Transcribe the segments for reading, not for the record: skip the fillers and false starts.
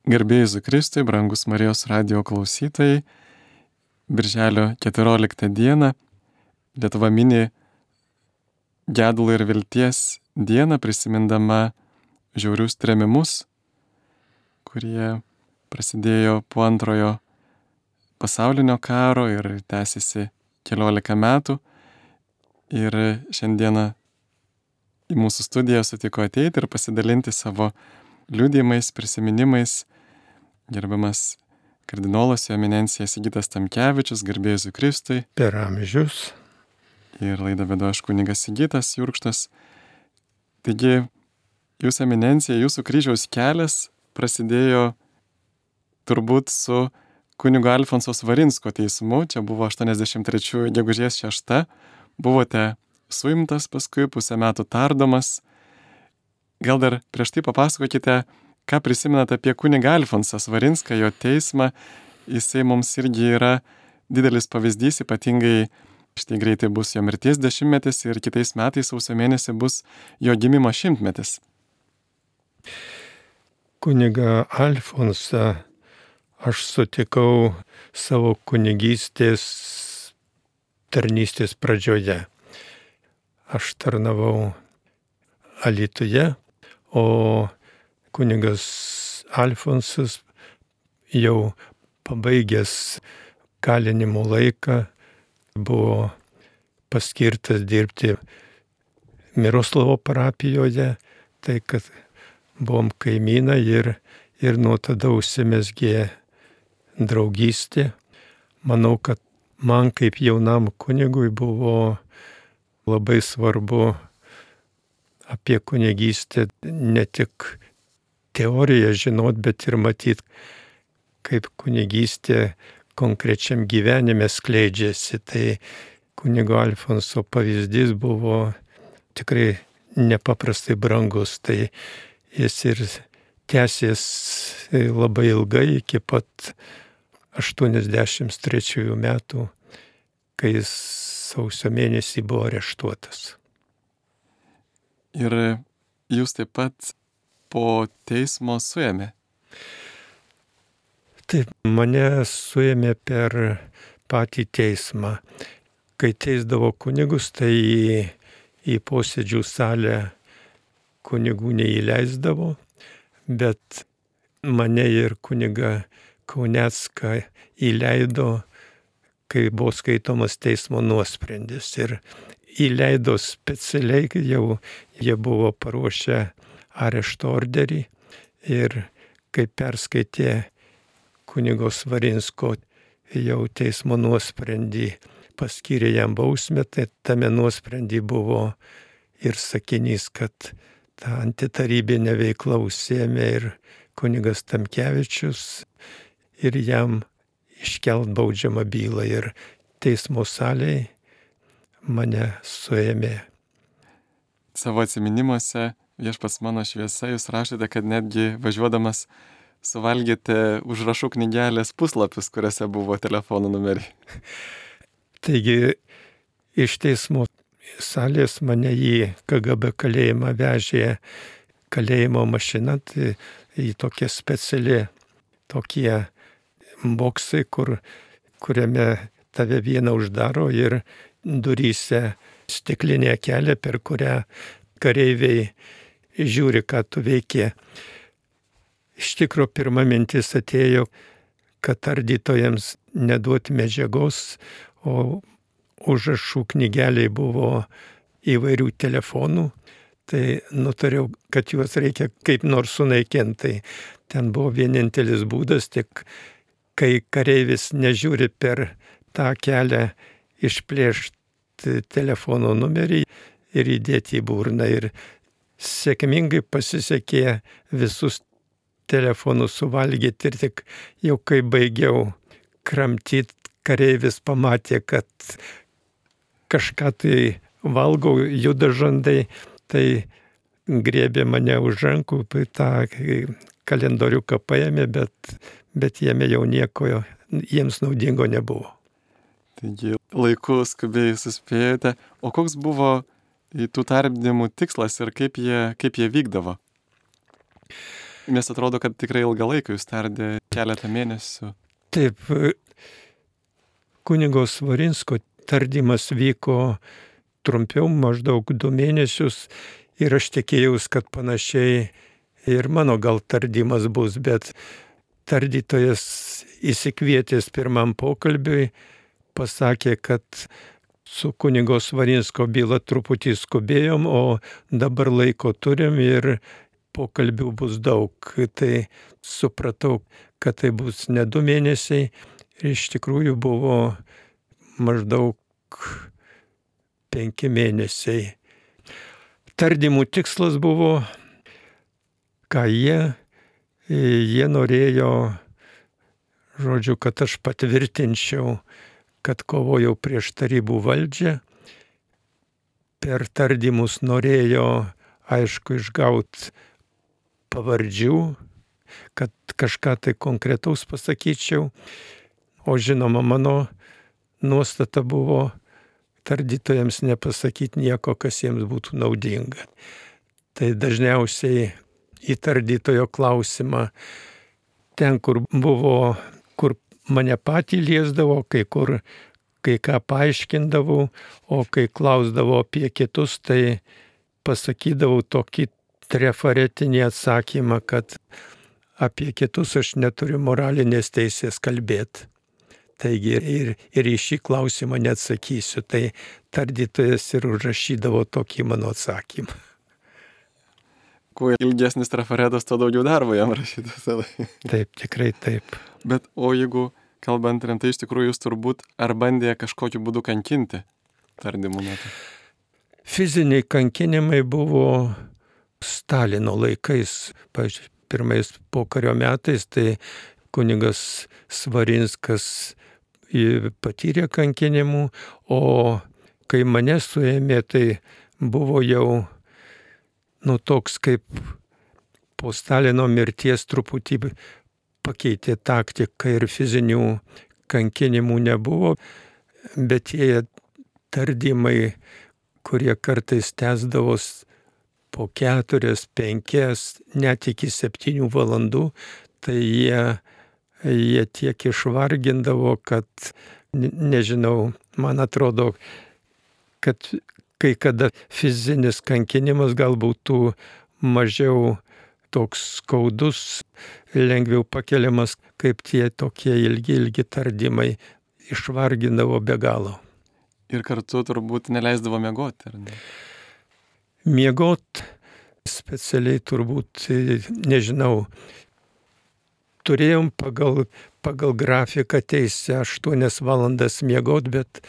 Garbė Jėzui Kristui, brangus Marijos radijo klausytojai, Birželio 14 dieną Lietuva mini gedulo ir vilties dieną, prisimindama žiaurius trėmimus, kurie prasidėjo po antrojo pasaulinio karo ir tęsiasi 14 metų. Ir šiandieną į mūsų studiją sutiko ateiti ir pasidalinti savo liudijimais, prisiminimais gerbiamas kardinolas Jo Eminencija Sigitas Tamkevičius, garbė Jėzui Kristui. Per amžius. Ir laidą vedu aš kunigas Sigitas Jurkštas. Taigi, Jūsų Eminencija, Jūsų kryžiaus kelias prasidėjo turbūt su kunigo Alfonso Svarinsko teismu. Čia buvo 83 gegužės 6. Buvote suimtas paskui, pusę metų tardomas. Gal dar prieš tai papasakokite, ką prisimenate apie kunigą Alfonsą Svarinską, jo teismą. Jisai mums irgi yra didelis pavyzdys, ypatingai štai greitai bus jo mirties 10-metis ir kitais metais sausio mėnesį bus jo gimimo 100-metis. Kunigą Alfonsą aš sutikau savo kunigystės tarnystės pradžioje. Aš tarnavau Alytuje, o kunigas Alfonsas jau pabaigęs kalinimo laiką buvo paskirtas dirbti Miroslavo parapijoje, tai kad buvom kaimynai ir nuo tada užsimezgė draugystė. Manau, kad man kaip jaunam kunigui buvo labai svarbu apie kunigystę ne tik teoriją žinot, bet ir matyt, kaip kunigystė konkrečiam gyvenime skleidžiasi. Tai kunigo Alfonso pavyzdys buvo tikrai nepaprastai brangus. Tai jis ir tęsės labai ilgai iki pat 83 metų, kai jis sausio mėnesį buvo areštuotas. Ir jūs taip pat po teismo suėmė. Taip, mane suėmė per patį teismą. Kai teisdavo kunigus, tai į posėdžių salę kunigų neįleisdavo, bet mane ir kunigą Kaunecką įleido, kai buvo skaitomas teismo nuosprendis. Ir įleido specialiai, jau jie buvo paruošę arešto orderį ir kai perskaitė kunigo Svarinsko jau teismo nuosprendį, paskyrė jam bausmę, tai tame nuosprendį buvo ir sakinys, kad tą antitarybinę veiklą užsiėmė ir kunigas Tamkevičius ir jam iškelt baudžiamą bylą ir teismo salėje mane suėmė. Savo atsiminimuose Viešpats mano šviesa jūs rašote, kad netgi važiuodamas suvalgėte užrašų knygelės puslapius, kuriuose buvo telefono numeriai. Taigi iš teismo salės mane į KGB kalėjimą vežė kalėjimo mašina, tai į tokia speciali tokie boksai, kuriame tave vieną uždaro ir duryse stiklinė kelė, per kurią kareiviai žiūri, ką tu veiki. Iš tikrųjų, pirma mintis atėjo, kad ardytojams neduoti medžiagos, o užrašų knygeliai buvo įvairių telefonų, tai nutariau, kad juos reikia kaip nors sunaikinti. Ten buvo vienintelis būdas, tik kai kareivis nežiūri per tą kelią, išplėšti telefono numerį ir įdėti į burną. Ir sėkmingai pasisekė visus telefonus suvalgyti ir tik jau kai baigiau kramtyti, kareivis pamatė, kad kažką tai valgau, juda žandai, tai griebė mane už rankų, tą kalendoriuką paėmė, bet jame jau nieko jiems naudingo nebuvo. Taigi laiku skubiai suspėjote. O koks buvo tų tardymų tikslas ir kaip jie vykdavo? Nes atrodo, kad tikrai ilgą laiką jūs tardė, keletą mėnesių. Taip, kunigo Svarinsko tardymas vyko trumpiau, maždaug 2 mėnesius, ir aš tikėjausi, kad panašiai ir mano gal tardymas bus, bet tardytojas įsikvietęs pirmam pokalbiui pasakė, kad su kunigo Svarinsko byla truputį skubėjom, o dabar laiko turim ir pokalbių bus daug. Tai supratau, kad tai bus ne 2 mėnesiai ir iš tikrųjų buvo maždaug 5 mėnesiai. Tardymų tikslas buvo, ką jie norėjo, žodžiu, kad aš patvirtinčiau, kad kovojau prieš tarybų valdžią. Per tardymus norėjo, aišku, išgauti pavardžių, kad kažką tai konkretaus pasakyčiau. O žinoma, mano nuostata buvo tardytojams nepasakyti nieko, kas jiems būtų naudinga. Tai dažniausiai į tardytojo klausimą ten, kur mane patį liesdavo, kai ką paaiškindavau, o kai klausdavo apie kitus, tai pasakydavau tokį trafaretinį atsakymą, kad apie kitus aš neturiu moralinės teisės kalbėti. Taigi ir į šį klausimą neatsakysiu. Tai tardytojas ir užrašydavo tokį mano atsakymą. Kuo ilgesnis trafaretas, to daugiau darbo jam rašytas. Taip, tikrai taip. Bet o jeigu kalbant rimtai, iš tikrųjų jūs turbūt ar bandė kažkokiu būdu kankinti tardymų metu? Fiziniai kankinimai buvo Stalino laikais, pavyzdžiui, pirmais pokario metais, tai kunigas Svarinskas patyrė kankinimų, o kai mane suėmė, tai buvo jau toks kaip po Stalino mirties truputį pakeitė taktiką ir fizinių kankinimų nebuvo, bet tie tardymai, kurie kartais tęsdavos po 4, 5, net iki 7 valandų, tai jie tiek išvargindavo, kad, nežinau, man atrodo, kad kai kada fizinis kankinimas galbūt būtų mažiau toks skaudus, lengviau pakeliamas, kaip tie tokie ilgi tardymai išvargindavo be galo. Ir kartu turbūt neleisdavo miegoti, ar ne? Miegot specialiai turbūt, nežinau, turėjom pagal grafiką teisę 8 valandas miegot, bet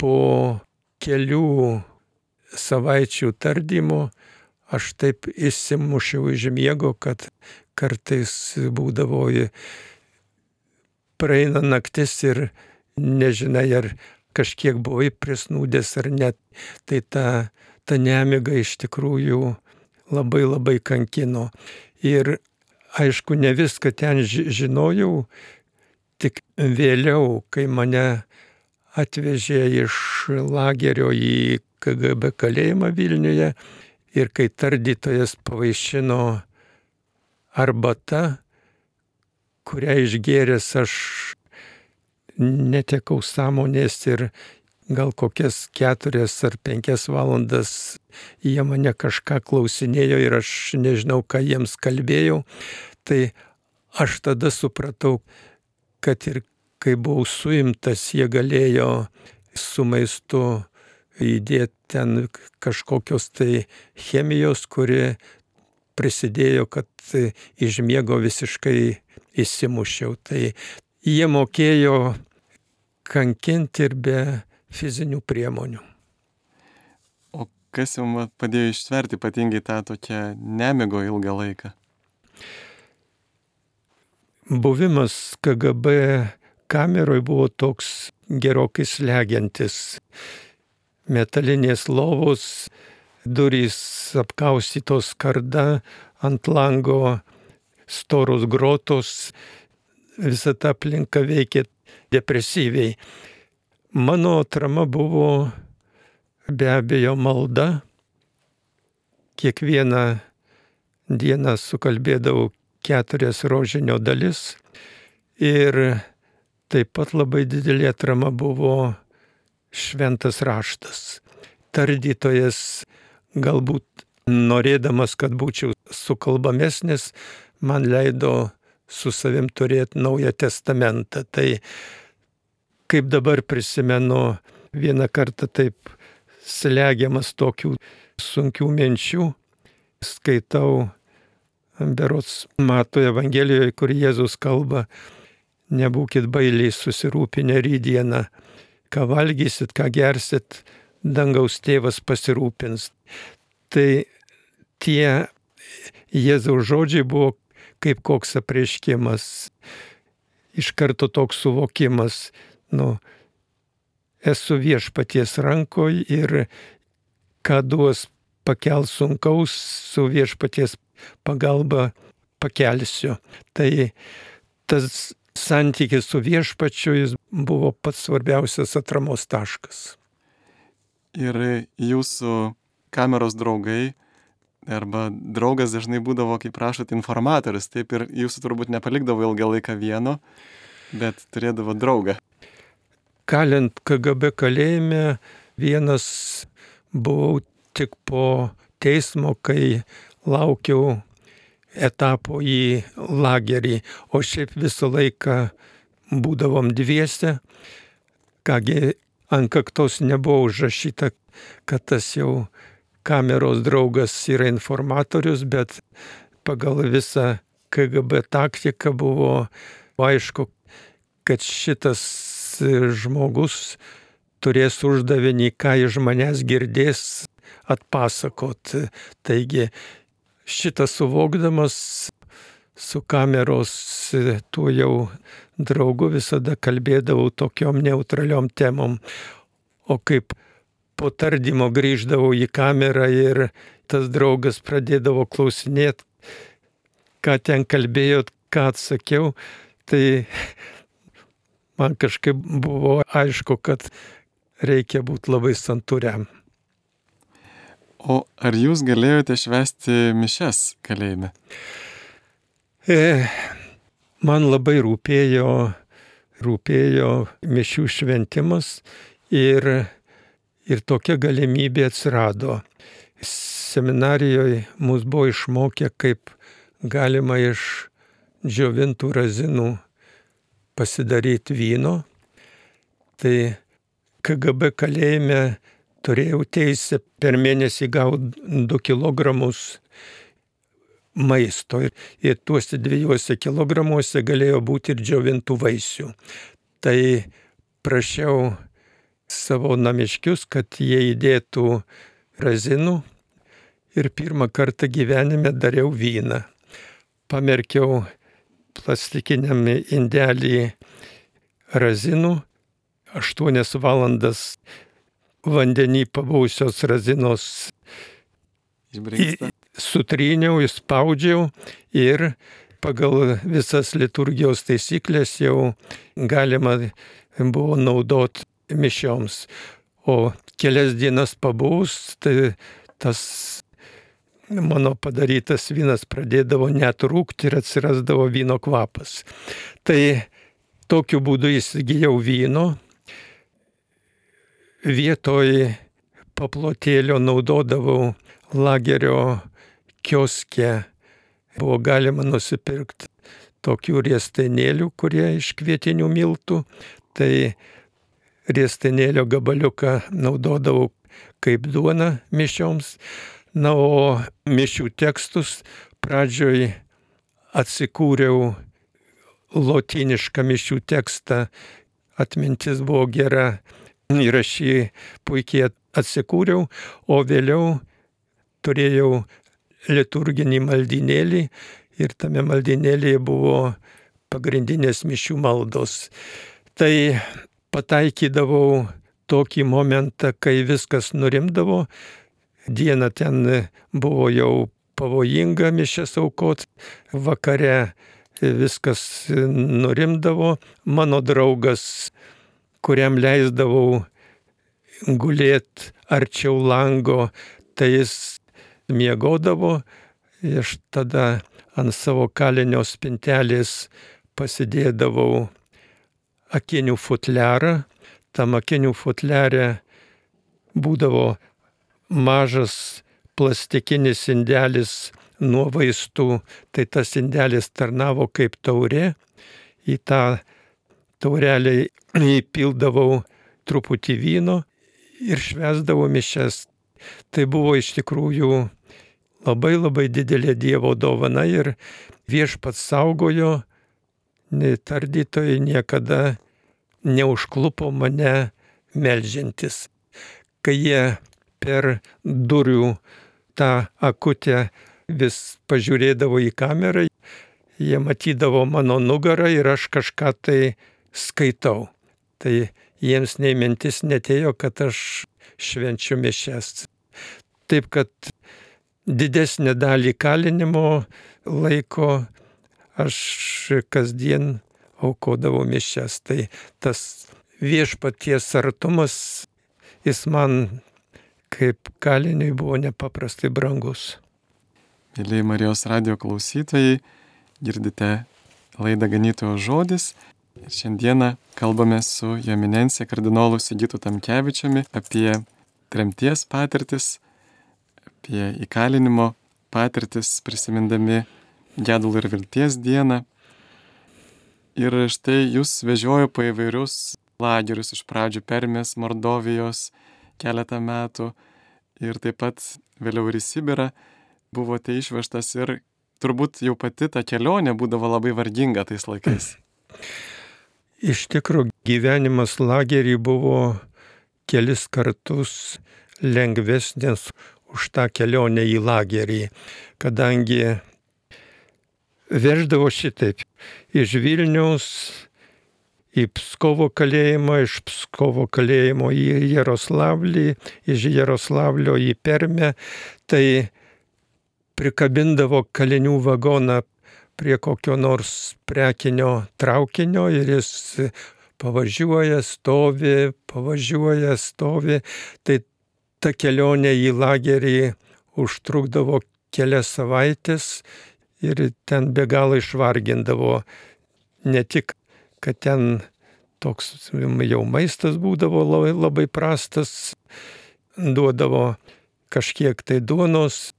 po kelių savaičių tardymo aš taip įsimušiau iš miego, kad kartais būdavo praeina naktis ir nežinai, ar kažkiek buvai prisnūdęs ar net. Tai ta nemiga iš tikrųjų labai kankino. Ir aišku, ne viską ten žinojau, tik vėliau, kai mane atvežė iš lagerio į KGB kalėjimą Vilniuje ir kai tardytojas pavaišino arbata, kurią išgėręs aš netekau sąmonės ir gal kokias 4 ar 5 valandas jie mane kažką klausinėjo ir aš nežinau, ką jiems kalbėjau. Tai aš tada supratau, kad ir kai buvau suimtas, jie galėjo su maistu įdėti ten kažkokios tai chemijos, kuri prisidėjo, kad iš miego visiškai įsimušiau. Tai jie mokėjo kankinti ir be fizinių priemonių. O kas jums padėjo ištverti ypatingai tą tokią nemigo ilgą laiką? Buvimas KGB kameroje buvo toks gerokai slegiantis. Metalinės lovos, durys apkaustytos skarda, ant lango storos grotos, visa ta aplinka veikė depresyviai. Mano atrama buvo be abejo malda. Kiekvieną dieną sukalbėdavau 4 rožinio dalis. Ir taip pat labai didelė atrama buvo šventas raštas. Tardytojas galbūt norėdamas, kad būčiau sukalbamesnis, man leido su savim turėti Naują testamentą. Tai kaip dabar prisimenu, vieną kartą taip slegiamas tokių sunkių minčių, skaitau berods Mato Evangelijoje, kur Jėzus kalba: nebūkit bailiai susirūpinę rytdieną, ką valgysit, ką gersit, dangaus tėvas pasirūpins. Tai tie Jėzaus žodžiai buvo kaip koks apreiškimas, iš karto toks suvokimas, esu Viešpaties rankoje ir ką duos pakelt sunkaus, su Viešpaties pagalba pakelsiu. Tai tas santykis su Viešpačiu jis buvo pats svarbiausias atramos taškas. Ir jūsų kameros draugai arba draugas dažnai būdavo, kaip prašot, informatorius, taip, ir jūsų turbūt nepalikdavo ilgą laiką vieno, bet turėdavo draugą. Kalint KGB kalėjime, vienas buvau tik po teismo, kai laukiau etapo į lagerį, o šiaip visą laiką būdavom dviese. Kągi, ant kaktos nebuvo užrašyta, kad tas jau kameros draugas yra informatorius, bet pagal visą KGB taktiką buvo aišku, kad šitas žmogus turės uždavinį, ką iš manęs girdės, atpasakot. Taigi šitą suvokdamas su kameros tuo jau draugu visada kalbėdavau tokiom neutraliom temom. O kaip po tardymo grįždavau į kamerą ir tas draugas pradėdavo klausinėti, ką ten kalbėjot, ką atsakiau, tai man kažkaip buvo aišku, kad reikia būti labai santūriam. O ar jūs galėjote švęsti mišias kalėjime? Man labai rūpėjo mišių šventimas ir tokia galimybė atsirado. Seminarijoje mus buvo išmokę, kaip galima iš džiovintų razinų pasidaryti vyno. Tai KGB kalėjime turėjau teisę per mėnesį gauti 2 kilogramus maisto. Ir tuose 2 kilogramuose galėjo būti ir džiovintų vaisių. Tai prašiau savo namiškius, kad jie įdėtų razinų ir pirmą kartą gyvenime dariau vyną. Pamerkiau plastikiniam indelį razinų, 8 valandas vandenį pabuvusios razinos sutryniau, įspaudžiau ir pagal visas liturgijos taisyklės jau galima buvo naudoti mišioms. O kelias dienas pabuvus, tai tas mano padarytas vynas pradėdavo net rūkti ir atsirasdavo vyno kvapas. Tai tokiu būdu įsigijau vyno. Vietoj paplotėlio naudodavau lagerio kioske. Buvo galima nusipirkti tokių riestainėlių, kurie iš kvietinių miltų. Tai riestainėlio gabaliuką naudodavau kaip duona mišioms. Na, o mišių tekstus pradžioj atsikūriau lotynišką mišių tekstą. Atmintis buvo gera ir aš jį puikiai atsikūriau, o vėliau turėjau liturginį maldynėlį ir tame maldynėlyje buvo pagrindinės mišių maldos. Tai pataikydavau tokį momentą, kai viskas nurimdavo. Dieną ten buvo jau pavojinga mišias aukot, vakare viskas nurimdavo. Mano draugas, kuriam leisdavau gulėti arčiau lango, tai jis miegodavo. Aš tada ant savo kalinio spintelės pasidėdavau akinių futliarą. Tam akinių futliare būdavo mažas plastikinis indelis nuo vaistų, tai tas indelis tarnavo kaip taurė. Į tą taurelę įpildavau truputį vyno ir švęsdavau mišias. Tai buvo iš tikrųjų labai labai didelė Dievo dovana ir Viešpats saugojo, tardytojai niekada neužklupo mane meldžiantis. Kai jie per durų tą akutę vis pažiūrėdavo į kamerą, jie matydavo mano nugarą ir aš kažką tai skaitau. Tai jiems nei mintis netėjo, kad aš švenčiu mišias. Taip kad didesnę dalį kalinimo laiko aš kasdien aukodavau mišias. Tai tas Viešpaties artumas, jis man kaip kaliniui buvo nepaprastai brangus. Mėlyje Marijos radijo klausytojai, girdite laidą Ganytojo žodis. Ir šiandieną kalbame su Jo Eminencija kardinolu Sigitu Tamkevičiumi apie tremties patirtis, apie įkalinimo patirtis, prisimindami gedulo ir vilties dieną. Ir štai jūs vežiojo po įvairius lagerius, iš pradžių Permės, Mordovijos keletą metų ir taip pat vėliau ir į Sibirą buvote išvežtas ir turbūt jau pati ta kelionė būdavo labai varginga tais laikais. Iš tikrųjų, gyvenimas lagerį buvo kelis kartus lengvesnis už tą kelionę į lagerį, kadangi veždavo šitaip iš Vilniaus į Pskovo kalėjimą, iš Pskovo kalėjimo į Jaroslavlį, iš Jaroslavlio į Permę, tai prikabindavo kalinių vagoną prie kokio nors prekinio traukinio ir jis pavažiuoja, stovi. Tai ta kelionė į lagerį užtrukdavo kelias savaitės ir ten be galo išvargindavo. Ne tik, kad ten toks jau maistas būdavo labai prastas, duodavo kažkiek tai duonos,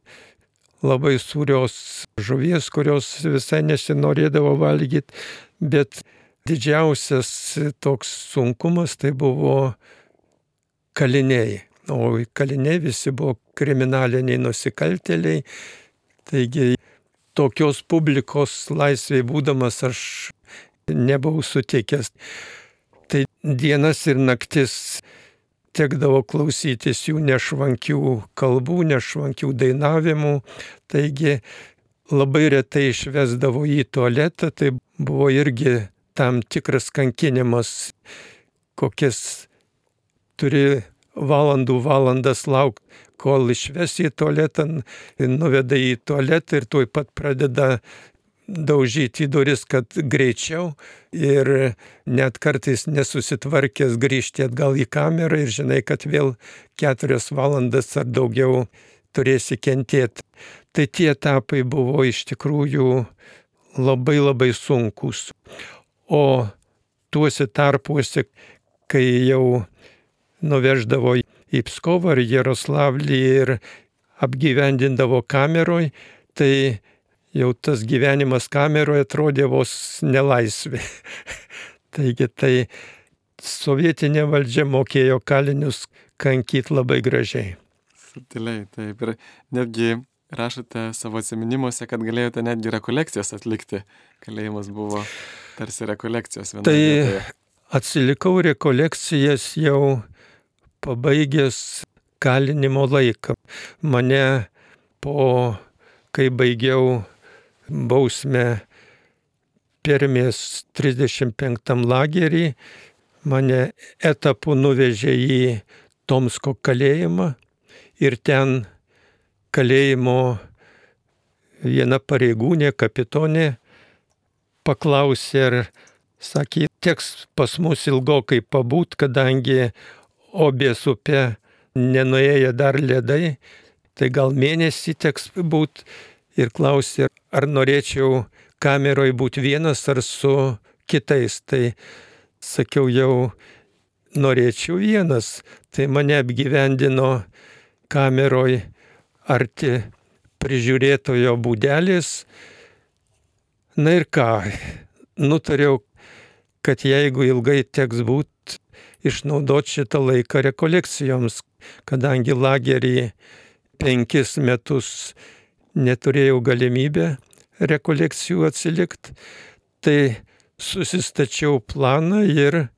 labai sūrios žuvies, kurios visai nesinorėdavo valgyti, bet didžiausias toks sunkumas tai buvo kaliniai. O kaliniai visi buvo kriminaliniai nusikaltėliai, taigi tokios publikos laisvėje būdamas aš nebuvau sutikęs. Tai dienas ir naktis tekdavo klausytis jų nešvankių kalbų, nešvankių dainavimų. Taigi labai retai išvesdavo į tualetą, tai buvo irgi tam tikras kankinimas, kokias turi valandas laukti, kol išves į tualetą, nuveda į tualetą ir tuoj pat pradeda daužyti į duris, kad greičiau ir net kartais nesusitvarkęs grįžti atgal į kamerą ir žinai, kad vėl 4 valandas ar daugiau turėsi kentėti. Tai tie etapai buvo iš tikrųjų labai labai sunkus. O tuose tarpuose, kai jau nuveždavo į Pskovą ar Jaroslavlį ir apgyvendindavo kameroj, tai jau tas gyvenimas kameroje atrodė vos nelaisvė. Taigi tai sovietinė valdžia mokėjo kalinius kankyti labai gražiai. Subtiliai, taip. Ir netgi rašote savo atsiminimuose, kad galėjote netgi rekolekcijas atlikti. Kalėjimas buvo tarsi rekolekcijos vienoje vietoje. Tai atsilikau rekolekcijas jau pabaigęs kalinimo laiką. Mane kai baigiau bausmę Permės 35 lagerį, mane etapu nuvežė į Tomsko kalėjimą ir ten kalėjimo viena pareigūnė, kapitonė, paklausė ir sakė, teks pas mus ilgokai pabūt, kadangi Obės upe nenuėjo dar ledai, tai gal mėnesį teks būt. ir klausė, ar norėčiau kameroje būti vienas ar su kitais. Tai sakiau, jau norėčiau vienas. Tai mane apgyvendino kameroje arti prižiūrėtojo būdelės. Na ir ką, nutariau, kad jeigu ilgai teks būti, išnaudoti šitą laiką rekolekcijoms, kadangi lagerį 5 metus neturėjau galimybę rekolekcijų atsilikti, tai susistačiau planą ir,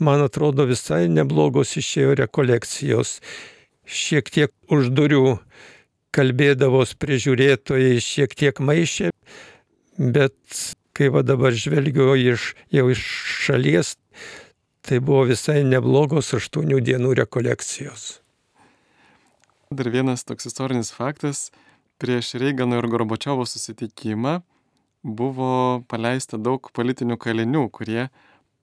man atrodo, visai neblogos išėjo rekolekcijos. Šiek tiek už durų kalbėdavos prižiūrėtojai, šiek tiek maišė, bet kai va dabar žvelgiu jau iš šalies, tai buvo visai neblogos 8 dienų rekolekcijos. Dar vienas toks istorinis faktas. Prieš Reigano ir Gorbačiovo susitikimą buvo paleista daug politinių kalinių, kurie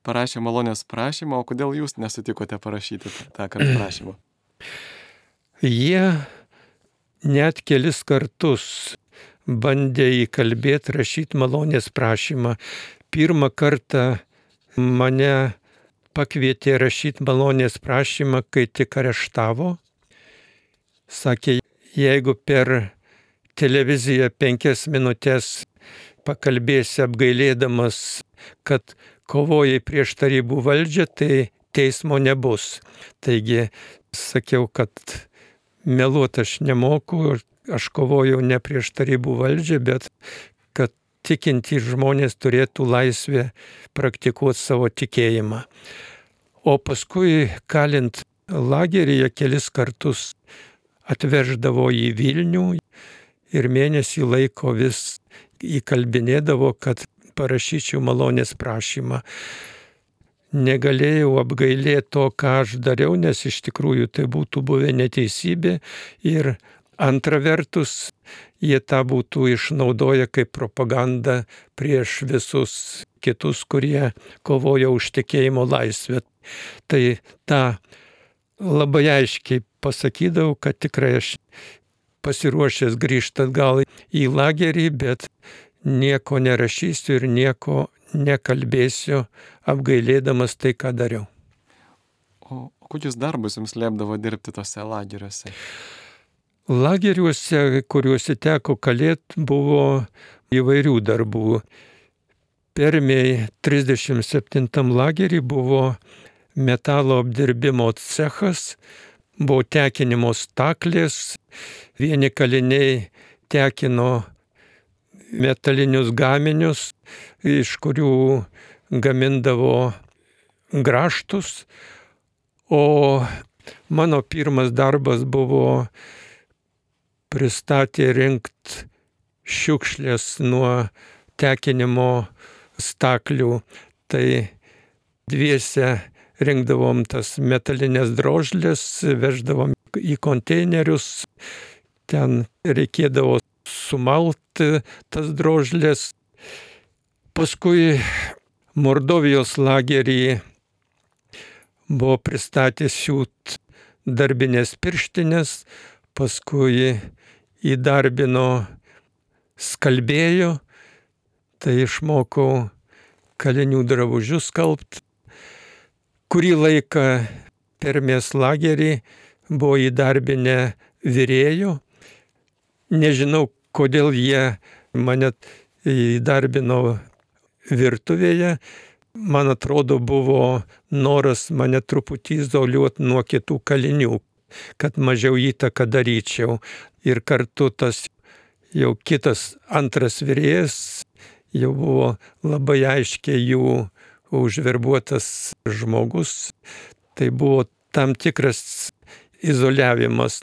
parašė malonės prašymą. O kodėl jūs nesutikote parašyti tą prašymą? Jie net kelis kartus bandė įkalbėti rašyti malonės prašymą. Pirmą kartą mane pakvietė rašyti malonės prašymą, kai tik areštavo. Sakė, jeigu per televiziją 5 minutės pakalbėsi apgailėdamas, kad kovojai prieš tarybų valdžią, tai teismo nebus. Taigi sakiau, kad meluot aš nemoku, aš kovojau ne prieš tarybų valdžią, bet kad tikintys žmonės turėtų laisvę praktikuoti savo tikėjimą. O paskui kalint lageryje kelis kartus atveždavo į Vilnių ir mėnesį laiko vis įkalbinėdavo, kad parašyčiau malonės prašymą. Negalėjau apgailėti to, ką aš dariau, nes iš tikrųjų tai būtų buvę neteisybė ir antra vertus, jie tą būtų išnaudoję kaip propagandą prieš visus kitus, kurie kovojo už tikėjimo laisvę. Tai tą labai aiškiai pasakydavau, kad tikrai aš pasiruošęs grįžti atgal į lagerį, bet nieko nerašysiu ir nieko nekalbėsiu, apgailėdamas tai, ką dariau. O kokius darbus jums liepdavo dirbti tose lageriuose? Lageriuose, kuriuose teko kalėti, buvo įvairių darbų. Permėj 37 lagerį buvo metalo apdirbimo cechas, buvo tekinimo staklės, vieni kaliniai tekino metalinius gaminius, iš kurių gamindavo grąžtus, o mano pirmas darbas buvo pristatė rinkti šiukšlės nuo tekinimo staklių. Tai dviese rinkdavom tas metalinės drožlės, veždavom į konteinerius, ten reikėdavo sumalti tas drožlės. Paskui Mordovijos lagerį buvo pristatęs siūt darbinės pirštinės, paskui įdarbino skalbėjo, tai išmokau kalinių drabužius skalbti. Kurį laiką Permės lagerį buvo įdarbinę virėjų. Nežinau, kodėl jie mane įdarbino virtuvėje. Man atrodo, buvo noras mane truputį izoliuoti nuo kitų kalinių, kad mažiau įtaką daryčiau. Ir kartu tas jau kitas antras virėjas jau buvo labai aiškiai jų užverbuotas žmogus. Tai buvo tam tikras izoliavimas.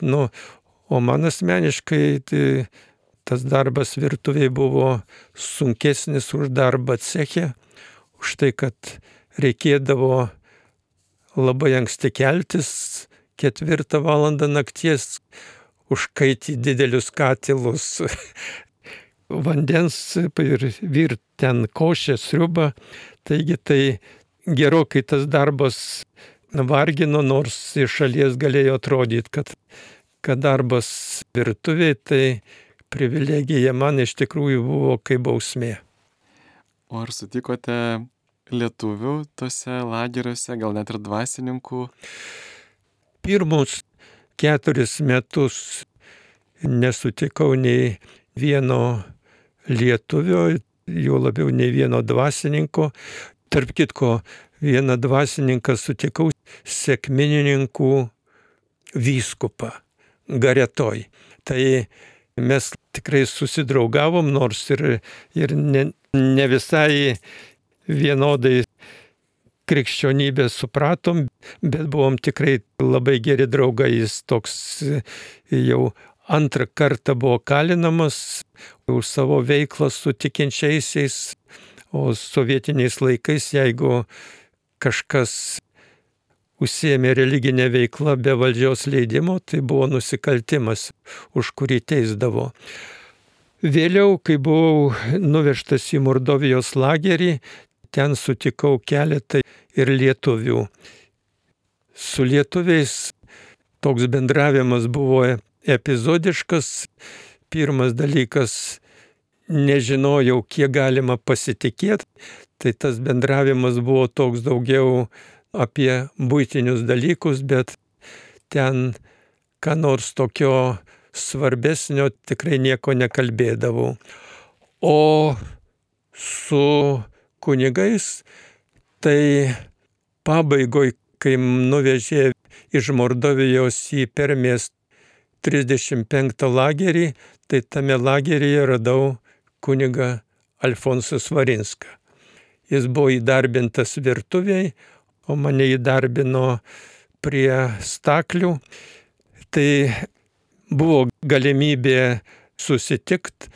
O man asmeniškai tai tas darbas virtuvėje buvo sunkesnis už darbą ceche, už tai, kad reikėdavo labai anksti keltis, 4 valandą nakties, užkaityti didelius katilus vandens ir virt ten košę, sriubą. Taigi tai gerokai tas darbas vargino, nors iš šalies galėjo atrodyti, kad darbas virtuvėje tai privilegija, man iš tikrųjų buvo kaip bausmė. O ar sutikote lietuvių tose lageriuose, gal net ir dvasininkų? Pirmus 4 metus nesutikau nei vieno lietuvio, juo labiau nei vieno dvasininko. Tarp kitko, vieną dvasininką sutikau, sekminininkų vyskupą Garetoj. Tai mes tikrai susidraugavom, nors ir ne visai vienodai krikščionybę supratom, bet buvom tikrai labai geri draugai. Jis toks jau antrą kartą buvo kalinamas už savo veiklą su tikinčiaisiais, o sovietiniais laikais, jeigu kažkas užsiėmė religinę veiklą be valdžios leidimo, tai buvo nusikaltimas, už kurį teisdavo. Vėliau, kai buvau nuvežtas į Mordovijos lagerį, ten sutikau keletą ir lietuvių. Su lietuviais toks bendravimas buvo epizodiškas. Pirmas dalykas, nežinojau, kiek galima pasitikėti, tai tas bendravimas buvo toks daugiau apie buitinius dalykus, bet ten ką nors tokio svarbesnio tikrai nieko nekalbėdavau. O su kunigais, tai pabaigoj, kai nuvežė iš Mordovijos į Permės 35 lagerį, tai tame lageryje radau kunigą Alfonsą Svarinską. Jis buvo įdarbintas virtuviai, o mane įdarbino prie staklių. Tai buvo galimybė susitikti,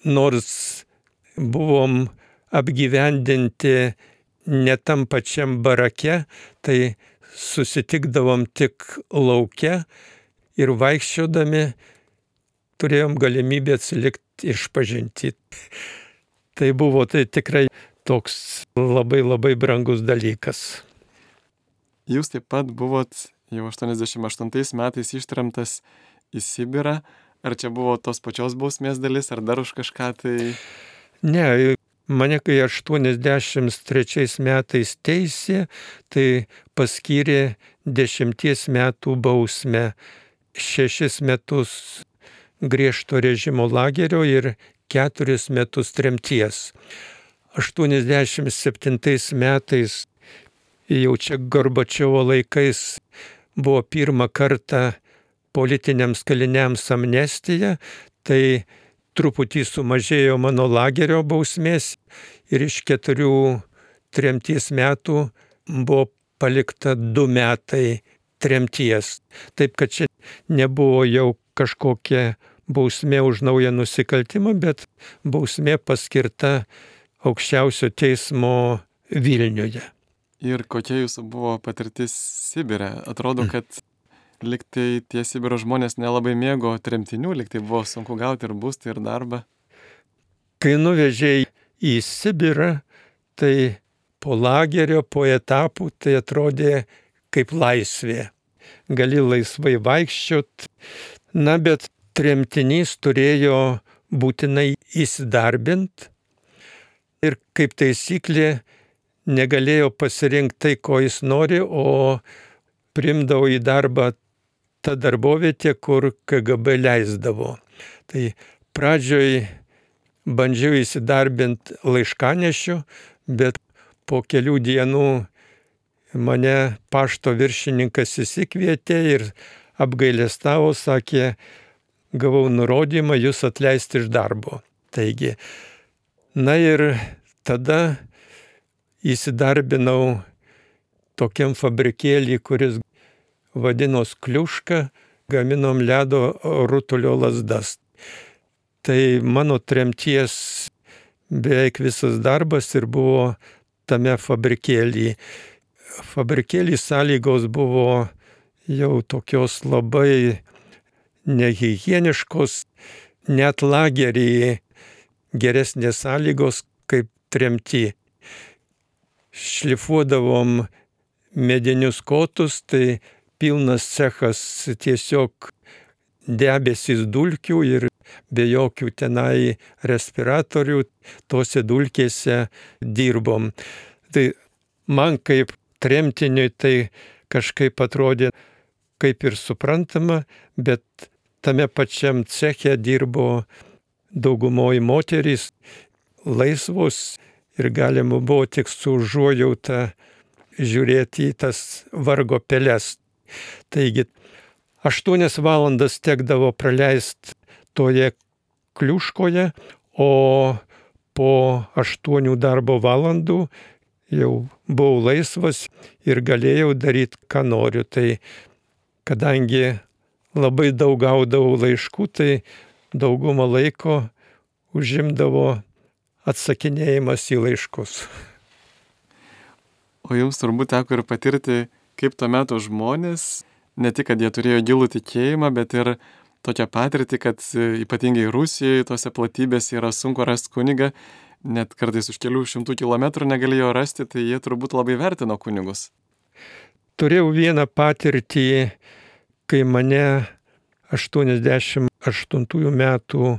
nors buvom apgyvendinti ne tam pačiam barake, tai susitikdavom tik lauke ir vaikščiodami turėjom galimybę atsilikti išpažinti. Tai buvo tikrai toks labai labai brangus dalykas. Jūs taip pat buvot jau 88 metais ištremtas į Sibirą. Ar čia buvo tos pačios bausmės dalis, ar dar už kažką tai? Ne, mane kai 83 metais teisė, tai paskyrė 10 metų bausmę, 6 metus griežto režimo lagerio ir 4 metus tremties. 87 metais, jau čia Gorbačiovo laikais, buvo pirmą kartą politiniams kaliniams amnestija, tai truputį sumažėjo mano lagerio bausmės ir iš 4 tremties metų buvo palikta 2 metai tremties. Taip kad čia nebuvo jau kažkokia bausmė už naują nusikaltimą, bet bausmė paskirta aukščiausio teismo Vilniuje. Ir kokia jūsų buvo patirtis Sibire? Atrodo, kad liktai tie Sibiro žmonės nelabai mėgo tremtinių, liktai buvo sunku gauti ir būstą, ir darbą. Kai nuvežė į Sibirą, tai po lagerio, po etapų, tai atrodė kaip laisvė. Gali laisvai vaikščiot. Na, bet tremtinys turėjo būtinai įsidarbinti ir kaip taisyklė negalėjo pasirinkti tai, ko jis nori, o priimdavo į darbą tą darbovietę, kur KGB leisdavo. Tai pradžioj bandžiau įsidarbinti laiškanešiu, bet po kelių dienų mane pašto viršininkas įsikvietė ir apgailestavo, sakė, gavau nurodymą jūs atleisti iš darbo. Taigi, na ir tada įsidarbinau tokiam fabrikėlį, kuris vadinos Kliuška, gaminom ledo rutulio lazdas. Tai mano tremties beveik visas darbas ir buvo tame fabrikėlį. Fabrikėlį sąlygos buvo jau tokios labai nehigieniškos, net lageryje geresnės sąlygos kaip tremty. Šlifuodavom medinius kotus, tai pilnas cechas tiesiog debesys dulkių ir be jokių tenai respiratorių tose dulkėse dirbom. Tai man kaip tremtiniui tai kažkaip atrodė kaip ir suprantama, bet tame pačiam ceche dirbo daugumoji moterys laisvos ir galima buvo tik su užuojauta žiūrėti į tas vargo peles. Taigi 8 valandas tekdavo praleisti toje kliuškoje, o po 8 darbo valandų jau buvau laisvas ir galėjau daryti, ką noriu. Tai kadangi labai daug gaudavau laiškų, tai daugumą laiko užimdavo atsakinėjimas į laiškus. O jums turbūt teko ir patirti, kaip tuo metu žmonės, ne tik, kad jie turėjo gilų tikėjimą, bet ir tokią patirtį, kad ypatingai Rusijoje, tose platybėse yra sunku rasti kunigą, net kartais už kelių šimtų kilometrų negalėjo rasti, tai jie turbūt labai vertino kunigus. Turėjau vieną patirtį, kai mane 88 metų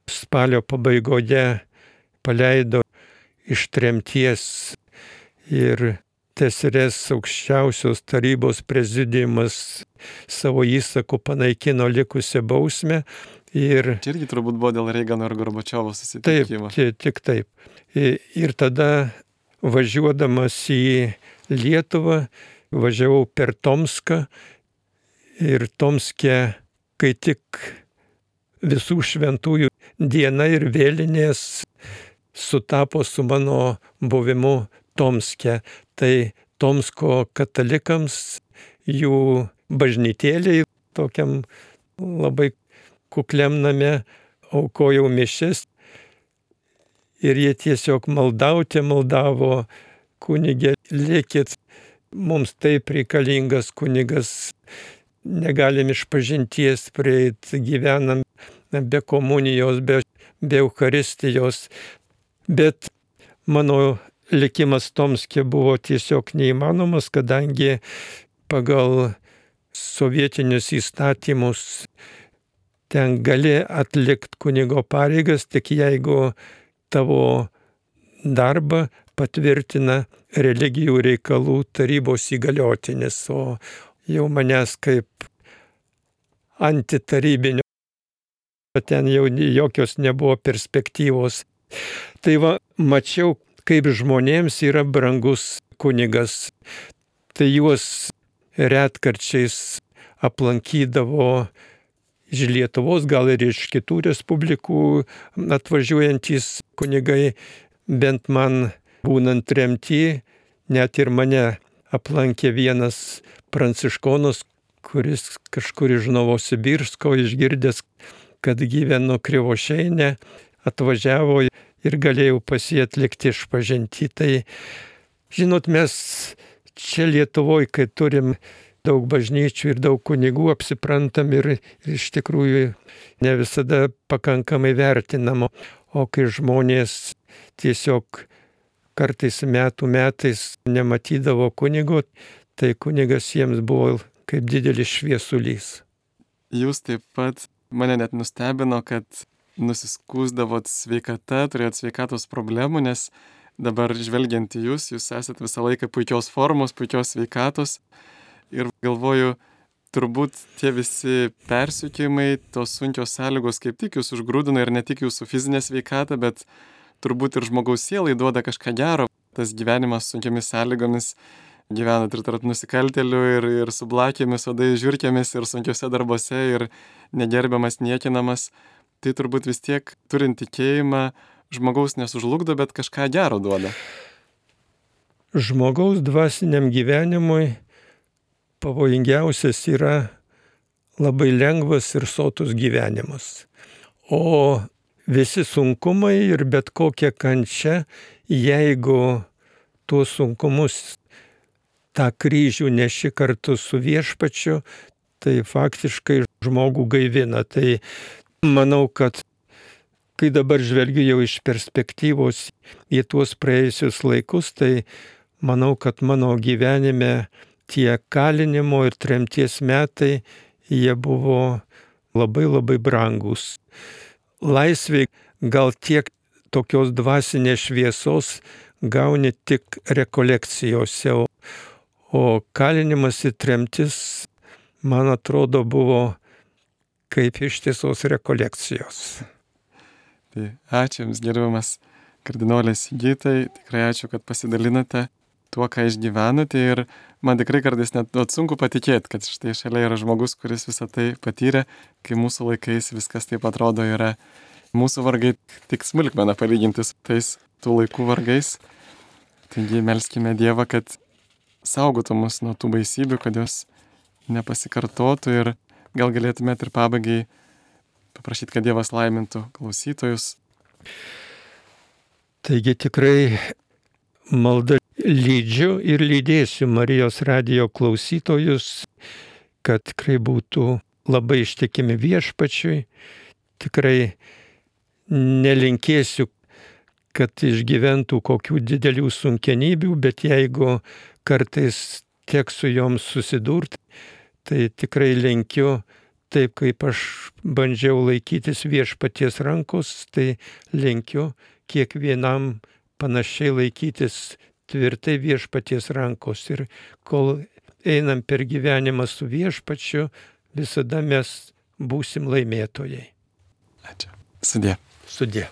spalio pabaigoje paleido iš tremties ir TSRS aukščiausios tarybos prezidiumas savo įsaku panaikino likusią bausmę. Ir čia irgi turbūt buvo dėl Reigano ir Gorbačiovo susitikimo. Taip, tik taip. Ir tada važiuodamas į Lietuvą, važiavau per Tomską ir Tomske, kai tik visų šventųjų diena ir vėlinės sutapo su mano buvimu Tomske. Tai Tomsko katalikams jų bažnytėliai tokiam labai kukliam name aukojau mišias ir jie tiesiog maldavo, kunige, likit, mums taip reikalingas kunigas, negalim išpažinties prieit, gyvenam be komunijos, be Eucharistijos, bet mano likimas Tomske buvo tiesiog neįmanomas, kadangi pagal sovietinius įstatymus ten gali atlikti kunigo pareigas, tik jeigu tavo darbą patvirtina religijų reikalų tarybos įgaliotinis, o jau manęs kaip antitarybinio, ten jau jokios nebuvo perspektyvos. Tai va, mačiau, kaip žmonėms yra brangus kunigas. Tai juos retkarčiais aplankydavo iš Lietuvos, gal ir iš kitų respublikų atvažiuojantys kunigai, bent man būnant tremty, net ir mane aplankė vienas pranciškonas, kuris kažkur iš Novosibirsko išgirdęs, kad gyvenu Krivošeine, atvažiavo ir galėjau pas jį atlikti išpažintį. Tai, žinot, mes čia Lietuvoje, kai turim daug bažnyčių ir daug kunigų, apsiprantam ir iš tikrųjų ne visada pakankamai vertinam. O kai žmonės tiesiog kartais metais nematydavo kunigo, tai kunigas jiems buvo kaip didelis šviesulys. Jūs taip pat mane net nustebino, kad nusiskūsdavot sveikata, turėjot sveikatos problemų, nes dabar žvelgiant į jūs esat visą laiką puikios formos, puikios sveikatos. Ir galvoju, turbūt tie visi persekiojimai, tos sunkios sąlygos kaip tik jūs užgrūdina ir ne tik jūsų fizinę sveikatą, bet turbūt ir žmogaus sielai duoda kažką gero. Tas gyvenimas sunkiamis sąlygomis, gyvenat ir tarp nusikaltėlių, ir su blakėmis, odai žiurkėmis, ir sunkiose darbuose, ir negerbiamas, niekinamas. Tai turbūt vis tiek, turint tikėjimą, žmogaus nesužlugdo, bet kažką gero duoda. Žmogaus dvasiniam gyvenimui pavojingiausias yra labai lengvas ir sotus gyvenimas. O visi sunkumai ir bet kokia kančia, jeigu tuos sunkumus, tą kryžių neši kartu su viešpačiu, tai faktiškai žmogų gaivina. Tai manau, kad kai dabar žvelgiu jau iš perspektyvos į tuos praėjusius laikus, tai manau, kad mano gyvenime tie kalinimo ir tremties metai, jie buvo labai labai brangus. Laisvė gal tiek tokios dvasinės šviesos gauni tik rekolekcijose, o kalinimas ir tremtis, man atrodo, buvo kaip ištisos rekolekcijos. Tai ačiū Jums, gerbiamas kardinolas Sigitai, tikrai ačiū, kad pasidalinote tuo, ką išgyvenote, ir man tikrai kartais net sunku patikėti, kad štai šalia yra žmogus, kuris visą tai patyrė, kai mūsų laikais viskas taip atrodo yra. Mūsų vargai tik smulkmena palyginti su tais tų laikų vargais. Taigi melskime Dievą, kad saugotų mus nuo tų baisybių, kad jos nepasikartotų, ir gal galėtumėt ir pabaigai paprašyti, kad Dievas laimintų klausytojus. Taigi tikrai malda lydžiu ir lydėsiu Marijos radijo klausytojus, kad tikrai būtų labai ištikimi viešpačiui. Tikrai nelinkėsiu, kad išgyventų kokių didelių sunkenybių, bet jeigu kartais teks su joms susidurti, tai tikrai linkiu, taip kaip aš bandžiau laikytis viešpaties rankos, tai linkiu kiekvienam panašiai laikytis tvirtai viešpaties rankos. Ir kol einam per gyvenimą su viešpačiu, visada mes būsim laimėtojai. Ačiū. Sudie. Sudie.